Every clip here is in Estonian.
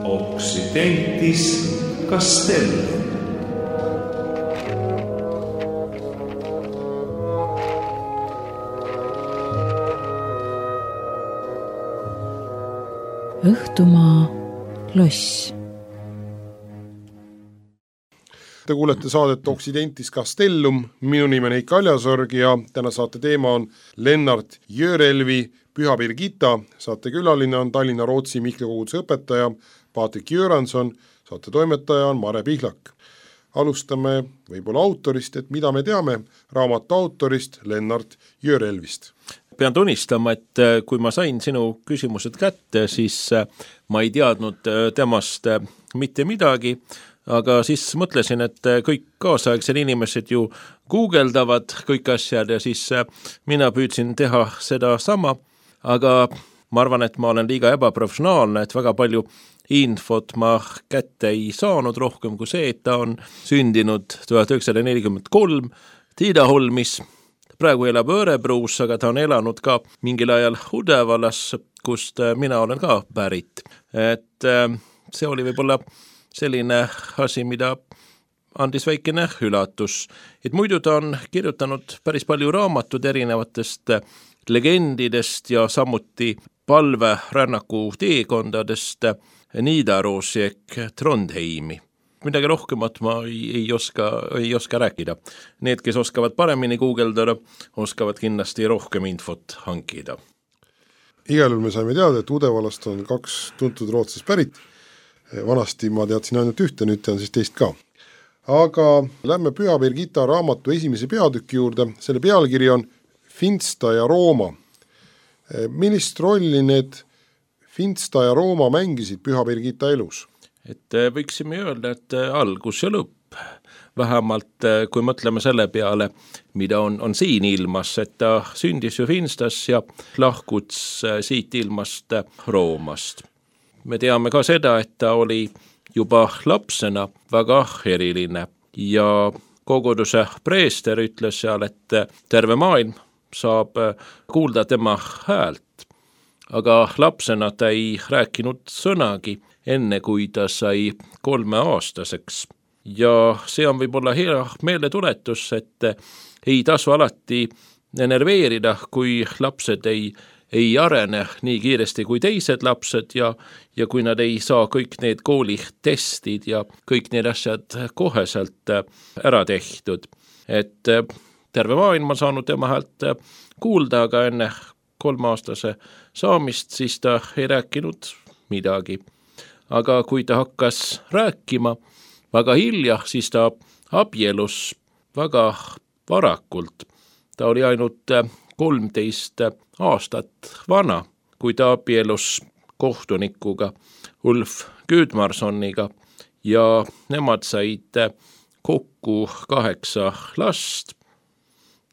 Occidentis Castellum. Õhtumaa loss. Te kuulete saadet Occidentis Castellum, minu nimi on Heiki Aljasorg ja täna saate teema on Lennart Jörelvi Püha Birgitta, saate külaline on Tallinna Rootsi Mihkli koguduse õpetaja Patrik Jüranson, saate toimetaja on Mare Pihlak. Alustame võib-olla autorist, et mida me teame raamatu autorist Lennart Jörelvist. Pean tunnistama, et kui ma sain sinu küsimused kätte, siis ma ei teadnud temast mitte midagi, aga siis mõtlesin, et kõik kaasaegsed inimesed ju guugeldavad kõik asjad ja siis mina püüdsin teha seda sama, aga ma arvan, et ma olen liiga ebaprofessionaalne, et väga palju infot ma kätte ei saanud rohkem kui see, et ta on sündinud 1943 Tiidaholmis. Praegu elab Örebruus, aga ta on elanud ka mingil ajal Udevalas, kust mina olen ka pärit. Et see oli võib-olla selline asi, mida andis väikene üllatus. Et muidu ta on kirjutanud päris palju raamatud erinevatest legendidest ja samuti palverännaku teekondadest Nidaroosi ehk Trondheimi. Midagi rohkemat ma ei oska rääkida. Need, kes oskavad paremini guugeldada, oskavad kindlasti rohkem infot hankida. Igal juhul me saime teada, et Udevalast on 2 tuntud Rootsist pärit. Vanasti ma teadsin ainult ühte, nüüd tean siis teist ka. Aga lähme Püha Birgitta raamatu esimese peatüki juurde. Selle pealkiri on Finsta ja Rooma. Millist rolli need Finsta ja Rooma mängisid Püha Birgitta elus? Et võiksime öelda, et algus ja lõpp. Vähemalt kui mõtleme selle peale, mida on siin ilmas, et ta sündis ju Finstas ja lahkuts siit ilmast Roomast. Me teame ka seda, et ta oli juba lapsena väga eriline ja koguduse preester ütles seal, et terve maailm saab kuulda tema häält. Aga lapsena ta ei rääkinud sõnagi, enne kui ta sai 3-aastaseks. Ja see on võib-olla hea meeletuletus, et ei tasu alati enerveerida, kui lapsed ei arene nii kiiresti kui teised lapsed ja kui nad ei saa kõik need koolitestid ja kõik need asjad koheselt ära tehtud. Et terve maailm on saanud tema häält kuulda, aga enne 3-aastase saamist siis ta ei rääkinud midagi. Aga kui ta hakkas rääkima väga hilja, siis ta abielus väga varakult. Ta oli ainult 13 aastat vana, kui ta abielus kohtunikuga Ulf Gudmarssoniga ja nemad said kokku 8 last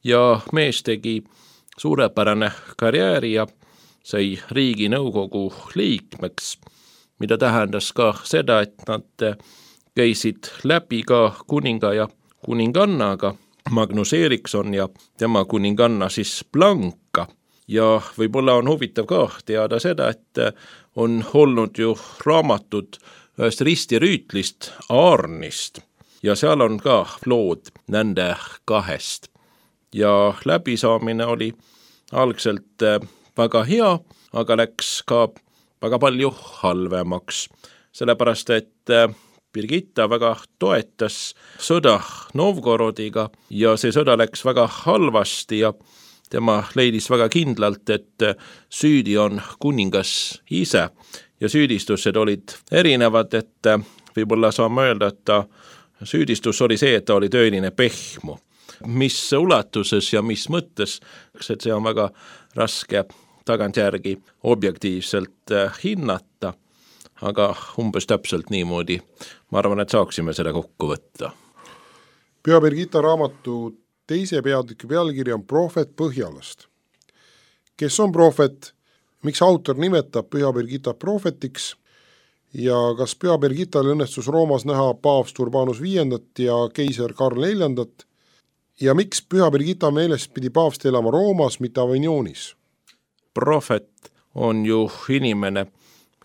ja mees tegi suurepärane karjääri ja sai Riiginõukogu liikmeks, mida tähendas ka seda, et nad käisid läbi ka kuninga ja kuningannaga, Magnus Eriksson ja tema kuninganna siis Blanka. Ja võib-olla on huvitav ka teada seda, et on olnud ju raamatud ühest ristirüütlist Arnist ja seal on ka lood nende 2. Ja läbisaamine oli algselt väga hea, aga läks ka väga palju halvemaks, sellepärast et Birgitta väga toetas sõda Novgorodiga ja see sõda läks väga halvasti ja tema leidis väga kindlalt, et süüdi on kuningas ise ja süüdistused olid erinevad, et võib-olla saame öelda, et süüdistus oli see, et ta oli tõeline pehmu. Mis ulatuses ja mis mõttes, et see on väga raske tagantjärgi objektiivselt hinnata, aga umbes täpselt niimoodi. Ma arvan, et saaksime seda kokku võtta. Püha Birgitta raamatu teise peatüki pealkiri on Prohvet Põhjalast. Kes on prohvet? Miks autor nimetab Püha Birgitta prohvetiks? Ja kas Püha Birgittal õnnestus Roomas näha paavst Urbanus V ja keiser Karl IV? Ja miks Püha Birgitta meelest pidi paavst elama Roomas, mitte Avignonis? Prohvet on ju inimene,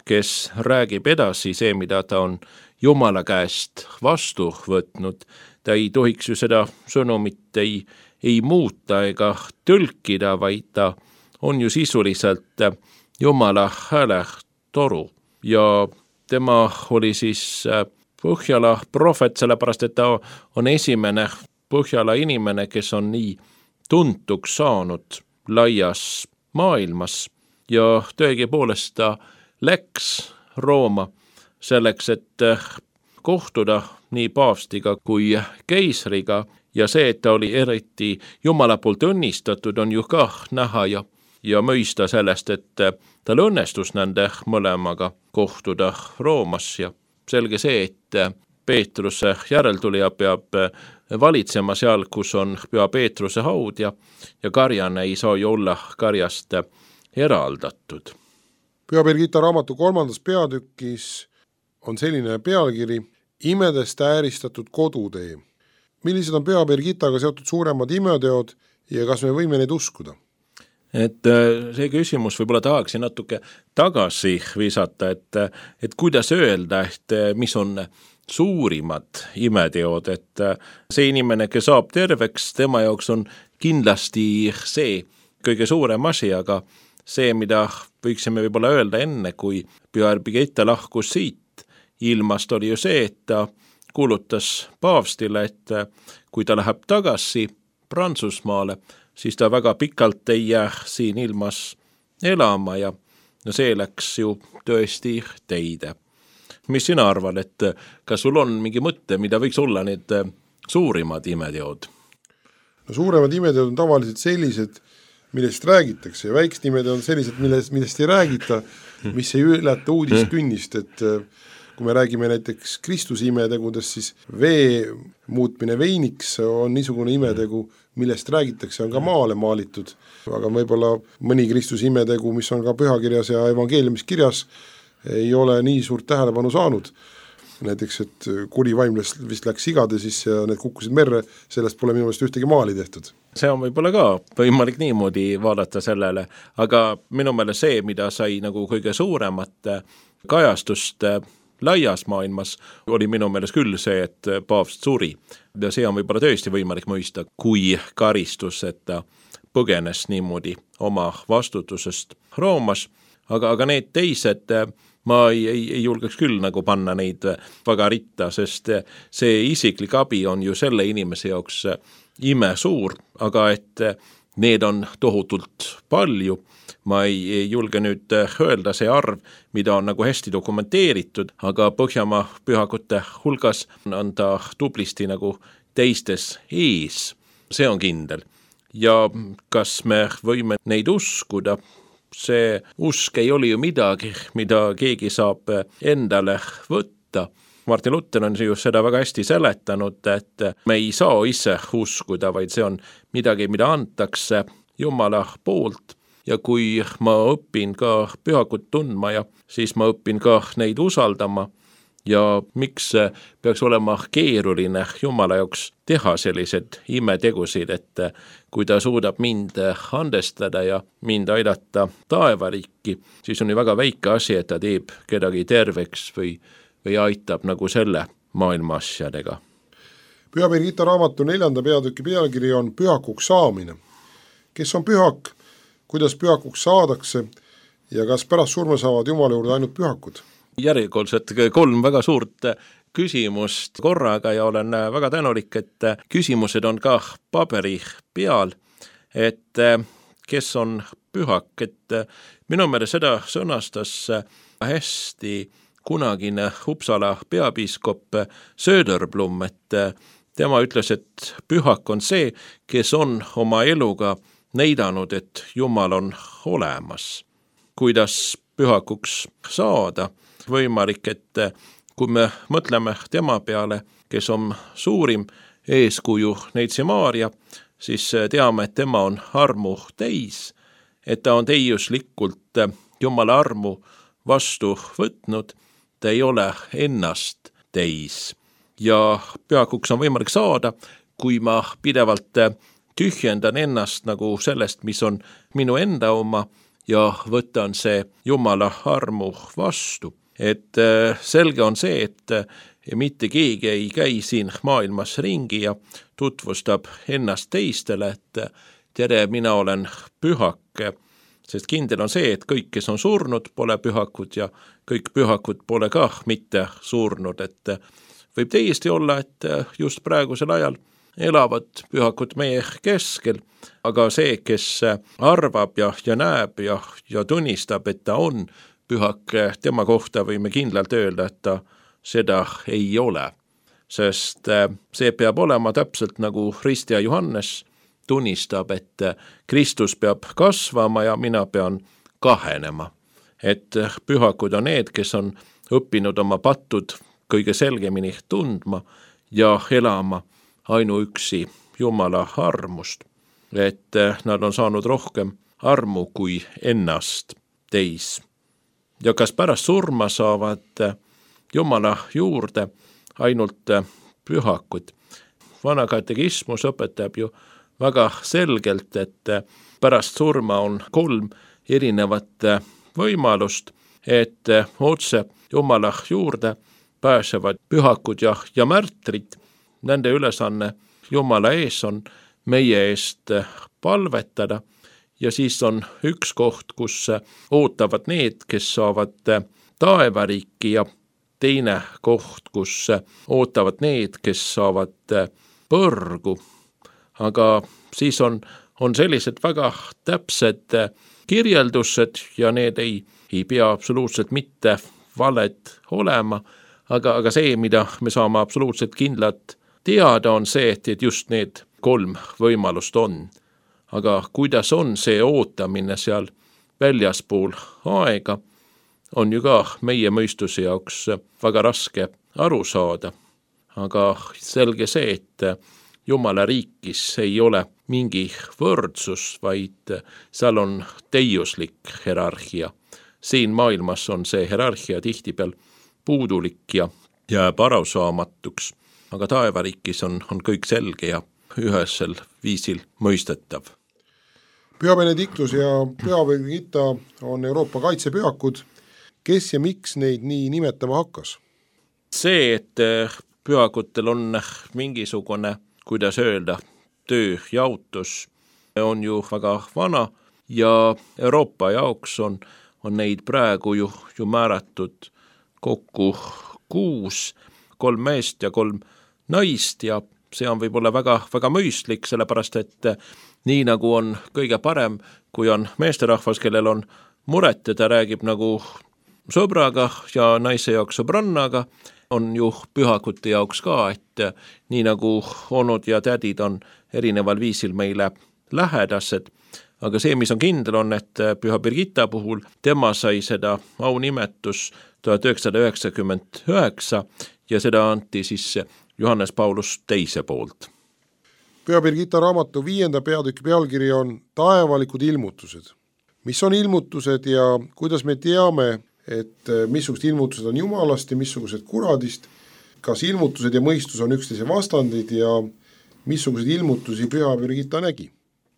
kes räägib edasi see, mida ta on Jumala käest vastu võtnud. Ta ei tohiks ju seda sõnumit ei muuta ega tõlkida, vaid ta on ju sisuliselt Jumala hääletoru ja tema oli siis Põhjala prohvet, sellepärast et ta on esimene Põhjala inimene, kes on nii tuntuks saanud laias maailmas ja tõegipoolest ta läks Rooma selleks, et kohtuda nii paavstiga kui keisriga ja see, et ta oli eriti Jumala poolt õnnistatud, on ju ka näha ja mõista sellest, et tal õnnestus nende mõlemaga kohtuda Roomas ja selge see, et Peetruse järeltulija peab valitsema seal, kus on Püha Peetruse haud ja karjane ei saa ju olla karjast eraldatud. Püha Birgitta raamatu 3. peatükis on selline pealkiri Imedest ääristatud kodutee. Millised on Püha Birgittaga seotud suuremad imeteod ja kas me võime neid uskuda? Et see küsimus võib-olla tahaksin natuke tagasi visata, et kuidas öelda, et mis on suurimad imeteod, et see inimene, kes saab terveks, tema jaoks on kindlasti see kõige suurem asi, aga see, mida võiksime võib-olla öelda enne, kui Püha Birgitta lahkus siit ilmast, oli ju see, et ta kuulutas paavstile, et kui ta läheb tagasi Prantsusmaale, siis ta väga pikalt ei jää siin ilmas elama ja see läks ju tõesti teide. Mis sina arvad, et kas sul on mingi mõte, mida võiks olla need suurimad imeteod? No suuremad imeteod on tavaliselt sellised, millest räägitakse ja väiksed imeteod on sellised, millest ei räägita, mis ei ületa uudiskünnist, et kui me räägime näiteks Kristuse imetegudest, siis vee muutmine veiniks on niisugune imetegu, millest räägitakse, on ka maale maalitud, aga võib-olla mõni Kristuse imetegu, mis on ka pühakirjas ja evangeeliumis kirjas, ei ole nii suurt tähelepanu saanud. Näiteks, et kuri vaim vist läks sigade sisse ja need kukkusid merre, sellest pole minu meelest ühtegi maali tehtud. See on võib-olla ka võimalik niimoodi vaadata sellele, aga minu meelest see, mida sai nagu kõige suuremat kajastust laias maailmas, oli minu meelest küll see, et paavst suri. Ja see on võib-olla tõesti võimalik mõista, kui karistus, et ta põgenes niimoodi oma vastutusest Roomas, aga need teised, ma ei julgeks küll nagu panna neid väga ritta, sest see isiklik abi on ju selle inimese jaoks ime suur, aga et need on tohutult palju. Ma ei julge nüüd öelda see arv, mida on nagu hästi dokumenteeritud, aga Põhjamaa pühakute hulgas on ta tublisti nagu teistes ees. See on kindel. Ja kas me võime neid uskuda? See usk ei oli ju midagi, mida keegi saab endale võtta. Martin Luther on ju seda väga hästi seletanud, et me ei saa ise uskuda, vaid see on midagi, mida antakse Jumala poolt. Ja kui ma õpin ka pühakut tundma ja siis ma õpin ka neid usaldama ja miks peaks olema keeruline Jumala jaoks teha sellised imetegusid, et kui ta suudab mind andestada ja mind aidata taevariiki, siis on ju väga väike asi, et ta teeb kedagi terveks või aitab nagu selle maailma asjadega. Püha Birgitta raamatu 4. peatüki pealkiri on pühakuks saamine. Kes on pühak? Kuidas pühakuks saadakse ja kas pärast surma saavad Jumala juurde ainult pühakud? Järjekordselt 3 väga suurt küsimust korraga ja olen väga tänulik, et küsimused on ka paberi peal, et kes on pühak, et minu meelest seda sõnastas hästi kunagine Uppsala peapiiskop Söderblom, et tema ütles, et pühak on see, kes on oma eluga näidanud, et Jumal on olemas. Kuidas pühakuks saada? Võimalik, et kui me mõtleme tema peale, kes on suurim eeskuju Neitsi Maaria, siis teame, et tema on armu täis, et ta on täiuslikult Jumala armu vastu võtnud, ta ei ole ennast täis. Ja pühakuks on võimalik saada, kui ma pidevalt tühjendan ennast nagu sellest, mis on minu enda oma ja võtan see Jumala armu vastu. Et selge on see, et mitte keegi ei käi siin maailmas ringi ja tutvustab ennast teistele, et tere, mina olen pühake, sest kindel on see, et kõik, kes on surnud, pole pühakud ja kõik pühakud pole ka mitte surnud, et võib täiesti olla, et just praegusel ajal elavad pühakud meie keskel, aga see, kes arvab ja näeb ja tunnistab, et ta on pühake, tema kohta võime kindlalt öelda, et ta seda ei ole. Sest see peab olema täpselt nagu Ristja Johannes tunnistab, et Kristus peab kasvama ja mina pean kahenema. Et pühakud on need, kes on õppinud oma pattud kõige selgemini tundma ja elama ainuüksi Jumala armust. Et nad on saanud rohkem armu kui ennast teis. Ja kas pärast surma saavad Jumala juurde ainult pühakud? Vana katekismus õpetab ju väga selgelt, et pärast surma on 3 erinevat võimalust, et otse Jumala juurde pääsevad pühakud ja märtrid. Nende ülesanne Jumala ees on meie eest palvetada ja siis on üks koht, kus ootavad need, kes saavad taevariiki ja teine koht, kus ootavad need, kes saavad põrgu. Aga siis on sellised väga täpsed kirjeldused ja need ei pea absoluutselt mitte valed olema, aga see, mida me saame absoluutselt kindlalt teada, on see, et just need 3 võimalust on. Aga kuidas on see ootamine seal väljaspool aega, on ju ka meie mõistuse jaoks väga raske aru saada. Aga selge see, et Jumala riikis ei ole mingi võrdsus, vaid seal on täiuslik hierarhia. Siin maailmas on see hierarhia tihtipeal puudulik ja jääb arusaamatuks, aga taevariikis on kõik selge ja ühesel viisil mõistetav. Püha Benedictus ja Püha Birgitta on Euroopa kaitsepühakud. Kes ja miks neid nii nimetama hakkas? See, et pühakutel on mingisugune, kuidas öelda, tööjaotus on ju väga vana ja Euroopa jaoks on neid praegu ju määratud kokku 6, 3 meest ja 3 naist ja see on võib-olla väga mõistlik, sellepärast et nii nagu on kõige parem, kui on meesterahvas, kellel on muret ja ta räägib nagu sõbraga ja naise jaoks sõbrannaga, on ju pühakute jaoks ka, et nii nagu onud ja tädid on erineval viisil meile lähedased, aga see, mis on kindel on, et Püha Birgitta puhul tema sai seda aunimetus 1999 ja seda anti siis Johannes Paulus II poolt. Püha Birgitta raamatu 5. peatüki pealkiri on Taevalikud ilmutused. Mis on ilmutused ja kuidas me teame, et missugused ilmutused on Jumalast ja missugused kuradist, kas ilmutused ja mõistus on üksteise vastandid ja missugused ilmutusi Püha Birgitta nägi?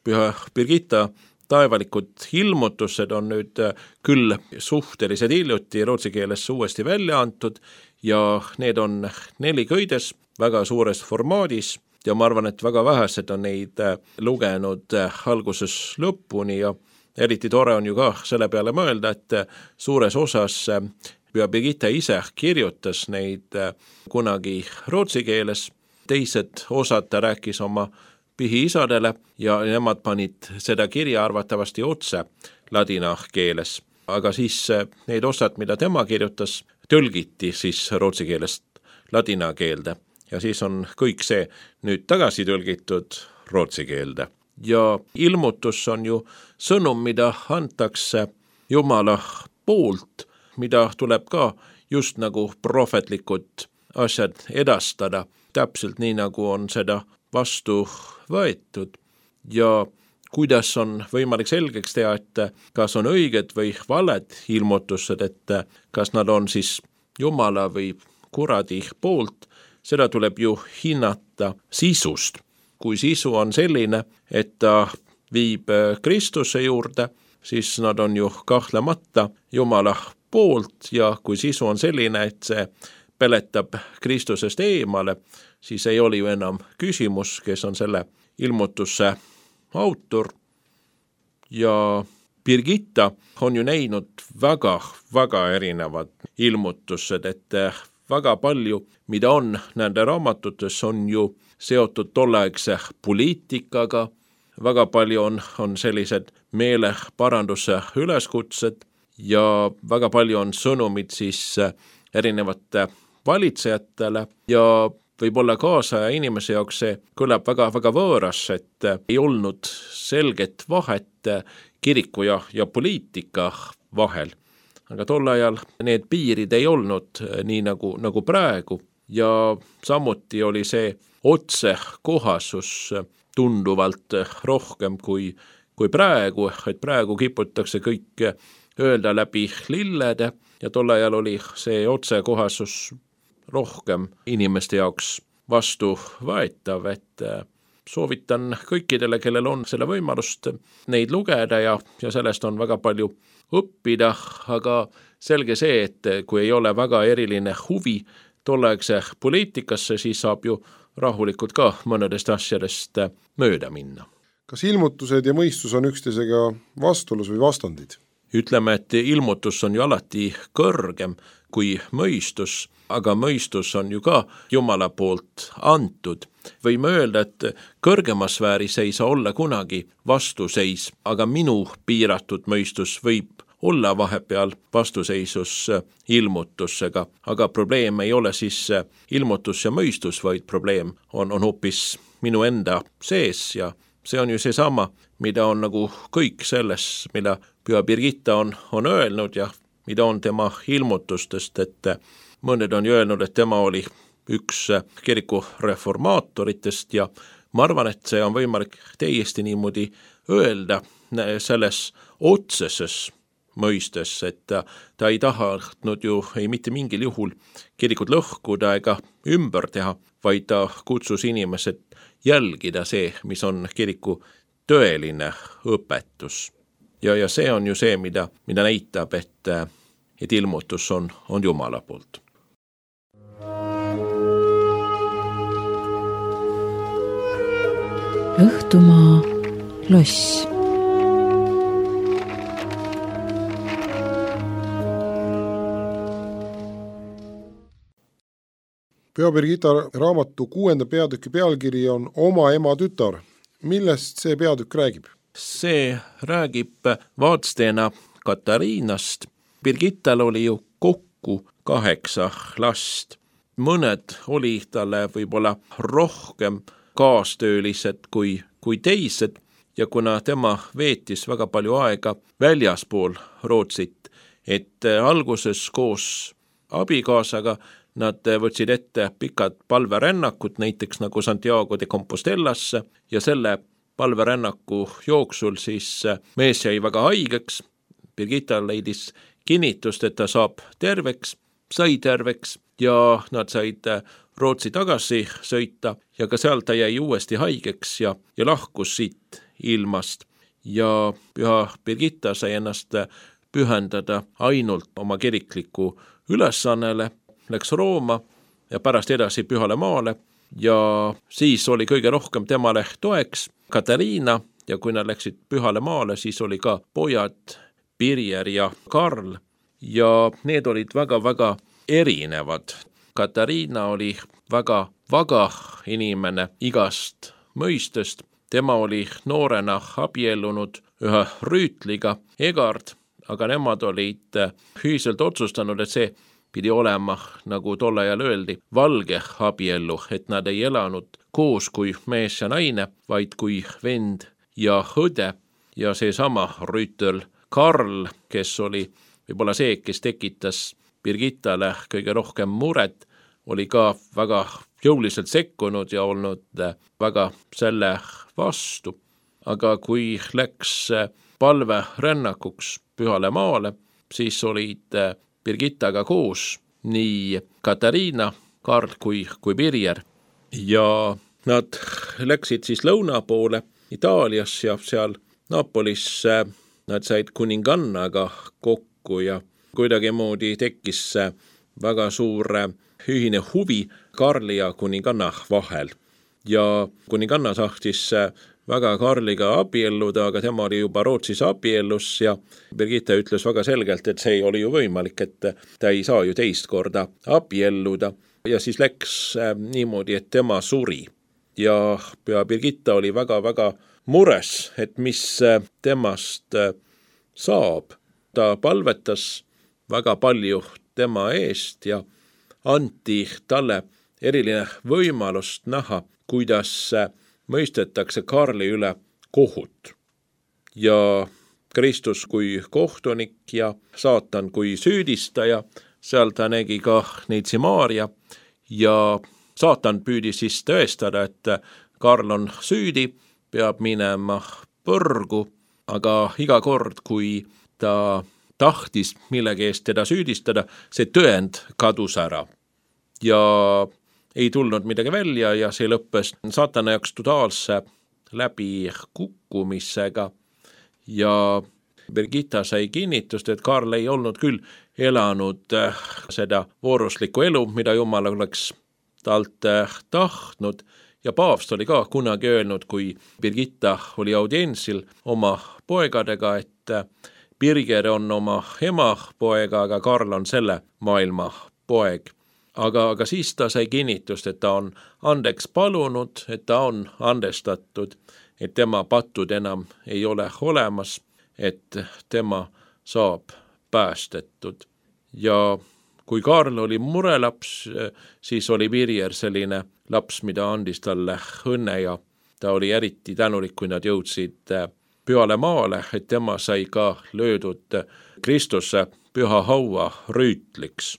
Püha Birgitta taevalikud ilmutused on nüüd küll suhteliselt hiljuti rootsi keeles uuesti välja antud ja need on 4 köides väga suures formaadis ja ma arvan, et väga vähesed on neid lugenud alguses lõpuni ja eriti tore on ju ka selle peale mõelda, et suures osas Püha Birgitta ise kirjutas neid kunagi rootsi keeles, teised osad ta rääkis oma pihiisadele ja nemad panid seda kirja arvatavasti otse ladina keeles. Aga siis need osad, mida tema kirjutas, tõlgiti siis rootsi keelest ladina keelde ja siis on kõik see nüüd tagasi tõlgitud rootsi keelde. Ja ilmutus on ju sõnum, mida antakse Jumala poolt, mida tuleb ka just nagu prohvetlikud asjad edastada, täpselt nii nagu on seda vastu võetud ja kuidas on võimalik selgeks teha, et kas on õiged või valed ilmutused, et kas nad on siis Jumala või kuradi poolt, seda tuleb ju hinnata sisust. Kui sisu on selline, et ta viib Kristuse juurde, siis nad on ju kahtlemata Jumala poolt ja kui sisu on selline, et see peletab Kristusest eemale, siis ei ole ju enam küsimus, kes on selle ilmutuse autor. Ja Birgitta on ju näinud väga erinevad ilmutused, et väga palju, mida on nende raamatutes, on ju seotud tolleaegse poliitikaga, väga palju on sellised meeleparanduse üleskutsed ja väga palju on sõnumid siis erinevate valitsejatele ja võib-olla kaasaja inimese jaoks see kõlab väga võõras, et ei olnud selget vahet kiriku ja poliitika vahel. Aga tol ajal need piirid ei olnud nii nagu praegu ja samuti oli see otsekohasus tunduvalt rohkem kui praegu, et praegu kiputakse kõik öelda läbi lillede ja tol ajal oli see otsekohasus rohkem inimeste jaoks vastuvõetav, et soovitan kõikidele, kellel on selle võimalust neid lugeda ja sellest on väga palju õppida, aga selge see, et kui ei ole väga eriline huvi tolleaegse poliitikasse, siis saab ju rahulikult ka mõnedest asjadest mööda minna. Kas ilmutused ja mõistus on üksteisega vastuolus või vastandid? Ütleme, et ilmutus on ju alati kõrgem kui mõistus, aga mõistus on ju ka Jumala poolt antud. Võime öelda, et kõrgemas sfääris ei saa olla kunagi vastuseis, aga minu piiratud mõistus võib olla vahepeal vastuseisus ilmutusega, aga probleem ei ole siis ilmutus ja mõistus, vaid probleem on hoopis minu enda sees ja see on ju seesama, mida on nagu kõik selles, mida Püha Birgitta on öelnud ja mida on tema ilmutustest, et mõned on ju öelnud, et tema oli üks kiriku reformaatoritest ja ma arvan, et see on võimalik täiesti niimoodi öelda selles otseses mõistes, et ta ei tahtnud ju ei mitte mingil juhul kirikut lõhkuda ega ümber teha, vaid ta kutsus inimesed jälgida see, mis on kiriku tõeline õpetus. Ja see on ju see, mida näitab, et ilmutus on Jumala poolt. Õhtumaa loss. Püha Birgitta raamatu 6. peatüki pealkiri on Oma ema tütar. Millest see peatükk räägib? See räägib vaatsteena Katariinast. Birgittal oli ju kokku 8 last. Mõned oli talle võib-olla rohkem kaastöölised kui teised ja kuna tema veetis väga palju aega väljaspool Rootsit, et alguses koos abikaasaga nad võtsid ette pikad palverännakud, näiteks nagu Santiago de Compostellasse ja selle palverännaku jooksul siis mees jäi väga haigeks. Birgitta leidis kinnitust, et ta saab terveks, sai terveks ja nad said Rootsi tagasi sõita ja ka seal ta jäi uuesti haigeks ja lahkus siit ilmast. Ja Püha Birgitta sai ennast pühendada ainult oma kirikliku ülesannele, läks Rooma ja pärast edasi Pühale maale ja siis oli kõige rohkem temale toeks Katariina ja kui nad läksid Pühale maale, siis oli ka pojad Birger ja Karl ja need olid väga erinevad. Katariina oli väga vaga inimene igast mõistest. Tema oli noorena abiellunud ühe rüütliga, Egard, aga nemad olid ühiselt otsustanud, et see pidi olema, nagu tol ajal öeldi, valge abiellu, et nad ei elanud koos kui mees ja naine, vaid kui vend ja õde ja seesama rüütel Karl, kes oli võib-olla see, kes tekitas Birgittale kõige rohkem muret, oli ka väga jõuliselt sekkunud ja olnud väga selle vastu. Aga kui läks palverännakuks Pühale maale, siis olid Birgittaga koos nii Katariina, Karl kui Birger ja nad läksid siis lõuna poole Itaalias ja seal Napolis nad said kuningannaga kokku ja kuidagimoodi tekkis väga suur ühine huvi Karli ja kuninganna vahel. Ja kuninganna tahtis väga Karliga abielluda, aga tema oli juba Rootsis abiellus ja Birgitta ütles väga selgelt, et see ei oli ju võimalik, et ta ei saa ju teist korda abielluda. Ja siis läks niimoodi, et tema suri. Ja Birgitta oli väga-väga mures, et mis temast saab. Ta palvetas väga palju tema eest ja anti talle eriline võimalust näha, kuidas mõistetakse Karli üle kohut. Ja Kristus kui kohtunik ja saatan kui süüdistaja, seal ta nägi ka neitsi Maaria ja saatan püüdis siis tõestada, et Karl on süüdi, peab minema põrgu, aga iga kord, kui ta tahtis millegi eest teda süüdistada, see tõend kadus ära. Ja ei tulnud midagi välja ja see lõppes saatana jaoks totaalse läbi kukkumisega ja Birgitta sai kinnitust, et Karl ei olnud küll elanud seda vooruslikku elu, mida Jumal oleks talt tahtnud ja paavst oli ka kunagi öelnud, kui Birgitta oli audientsil oma poegadega, et Birger on oma ema poega, aga Karl on selle maailma poeg. Aga siis ta sai kinnitust, et ta on andeks palunud, et ta on andestatud, et tema patud enam ei ole olemas, et tema saab päästetud. Ja kui Karl oli murelaps, siis oli Birger selline laps, mida andis talle õnne ja ta oli eriti tänulik, kui nad jõudsid pühale maale, et tema sai ka löödud Kristuse püha haua rüütliks,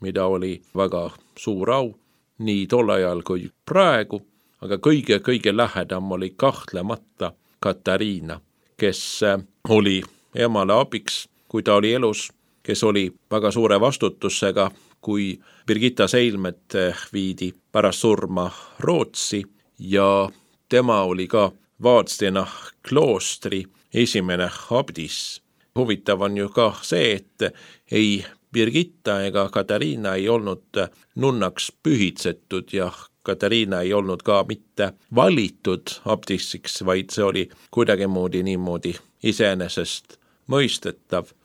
mida oli väga suur au, nii tol ajal kui praegu, aga kõige lähedam oli kahtlemata Katariina, kes oli emale abiks, kui ta oli elus, kes oli väga suure vastutusega, kui Birgitta Seilmet viidi pärast surma Rootsi ja tema oli ka Vadstena kloostri esimene abdis. Huvitav on ju ka see, et ei Birgitta ega Katariina ei olnud nunnaks pühitsetud ja Katariina ei olnud ka mitte valitud abdissiks, vaid see oli kuidagimoodi niimoodi iseenesest mõistetav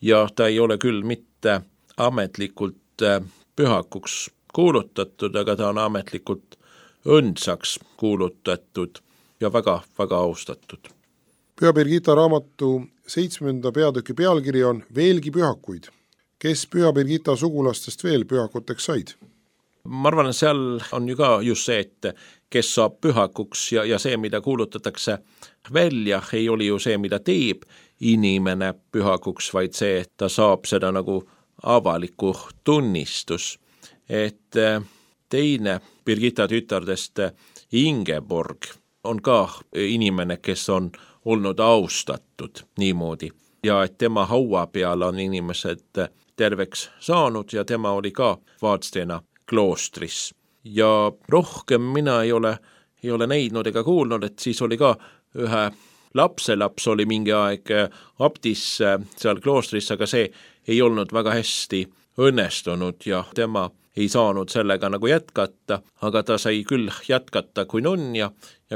ja ta ei ole küll mitte ametlikult pühakuks kuulutatud, aga ta on ametlikult õndsaks kuulutatud ja väga-väga austatud. Püha Birgitta raamatu 7. peatüki pealkiri on Veelgi pühakuid. Kes Püha Birgitta sugulastest veel pühakuteks said? Ma arvan, et seal on ju ka just see, et kes saab pühakuks ja see, mida kuulutatakse välja, ei oli ju see, mida teeb inimene pühakuks, vaid see, et ta saab seda nagu avaliku tunnistus. Et teine Birgitta tütardest Ingeborg on ka inimene, kes on olnud austatud niimoodi ja et tema haua peal on inimesed terveks saanud ja tema oli ka Vadstena kloostris. Ja rohkem mina ei ole näinud ega kuulnud, et siis oli ka ühe lapselaps oli mingi aeg abdis seal kloostris, aga see ei olnud väga hästi õnnestunud ja tema ei saanud sellega nagu jätkata, aga ta sai küll jätkata kui nunn ja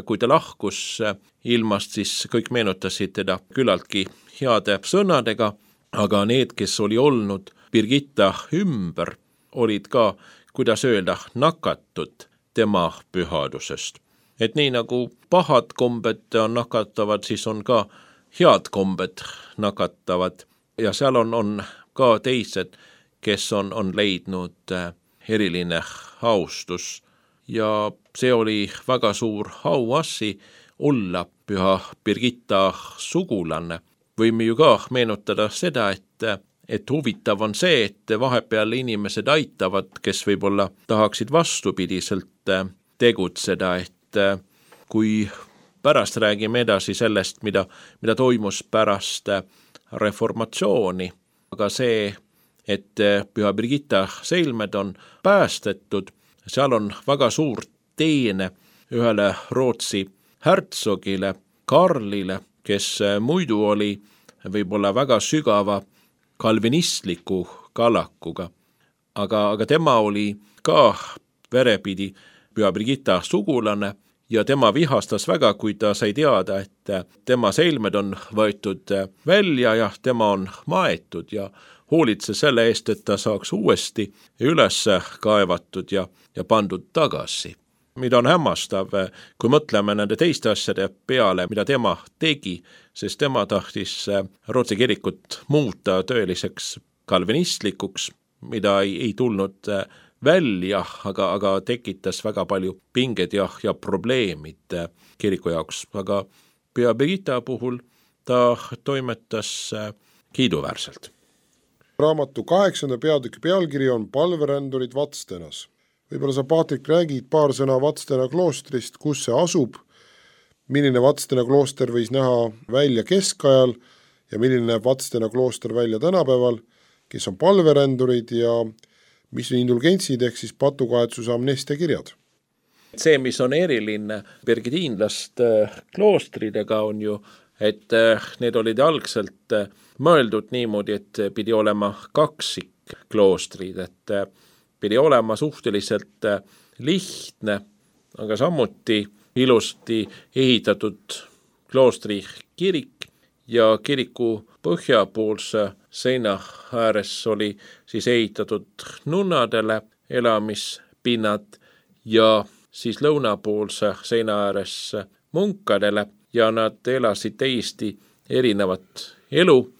kui ta lahkus ilmast, siis kõik meenutasid teda küllaltki heade sõnadega, aga need, kes oli olnud Birgitta ümber, olid ka, kuidas öelda, nakatud tema pühadusest. Et nii nagu pahad kombed on nakatavad, siis on ka head kombed nakatavad ja seal on ka teised, kes on leidnud eriline austus ja see oli väga suur auassi olla Püha Birgitta sugulane. Võime ju ka meenutada seda, et huvitav on see, et vahepeal inimesed aitavad, kes võib-olla tahaksid vastupidiselt tegutseda, et kui pärast räägime edasi sellest, mida toimus pärast reformatsiooni, aga see, et Püha Birgitta Seilmed on päästetud, seal on väga suur teene ühele Rootsi härtsogile, Karlile, kes muidu oli võib-olla väga sügava kalvinistliku kallakuga, aga tema oli ka verepidi Püha Birgitta sugulane ja tema vihastas väga, kui ta sai teada, et tema selmed on võetud välja ja tema on maetud ja hoolitses selle eest, et ta saaks uuesti üles kaevatud ja pandud tagasi. Mida on hämmastav, kui mõtleme nende teiste asjade peale, mida tema tegi, sest tema tahtis Rootsi kirikut muuta tõeliseks kalvinistlikuks, mida ei tulnud välja, aga tekitas väga palju pinged ja probleemid kiriku jaoks. Aga Püha Birgitta puhul ta toimetas kiiduväärselt. Raamatu 8. peatüki pealkiri on Palverändurid Vatstenas. Võib-olla sa, Paatrik, räägid paar sõna Vatstena kloostrist, kus see asub, milline Vatstena klooster võis näha välja keskajal ja milline näeb Vatstena klooster välja tänapäeval, kes on palverändurid ja mis on indulgentsid ehk siis patukaetsuse amnestia kirjad. See, mis on eriline birgitiinlaste kloostridega on ju, et need olid algselt mõeldud niimoodi, et pidi olema kaksik kloostrid, et pidi olema suhteliselt lihtne, aga samuti ilusti ehitatud kloostri kirik ja kiriku põhjapoolse seina ääres oli siis ehitatud nunnadele elamispinnad ja siis lõunapoolse seina ääres munkadele ja nad elasid täiesti erinevat elu.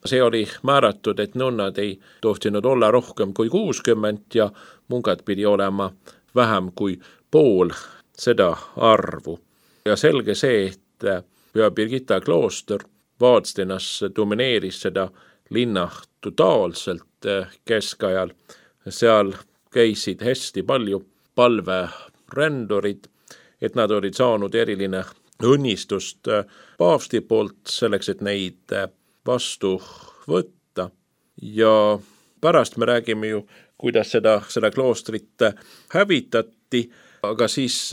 See oli määratud, et nunnad ei tohtinud olla rohkem kui 60 ja munkad pidi olema vähem kui pool seda arvu. Ja selge see, et Püha Birgitta klooster Vadstenas domineeris seda linna totaalselt keskajal. Seal käisid hästi palju palverändurid, et nad olid saanud eriline õnnistust paavsti poolt selleks, et neid vastu võtta ja pärast me räägime ju, kuidas seda kloostrit hävitati, aga siis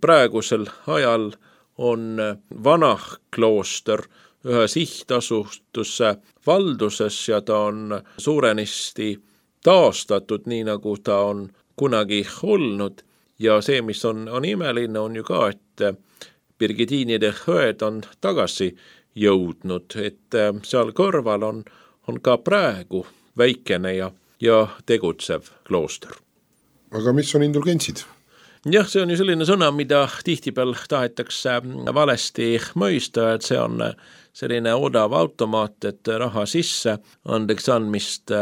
praegusel ajal on vana klooster ühe sihtasutuse valduses ja ta on suurenisti taastatud nii, nagu ta on kunagi olnud ja see, mis on imeline, on ju ka, et birgitiinide õed on tagasi jõudnud, et seal kõrval on ka praegu väikene ja tegutsev klooster. Aga mis on indulgentsid? Jah, see on ju selline sõna, mida tihtipeal tahetakse valesti mõista, et see on selline odav automaat, et raha sisse andeks andmist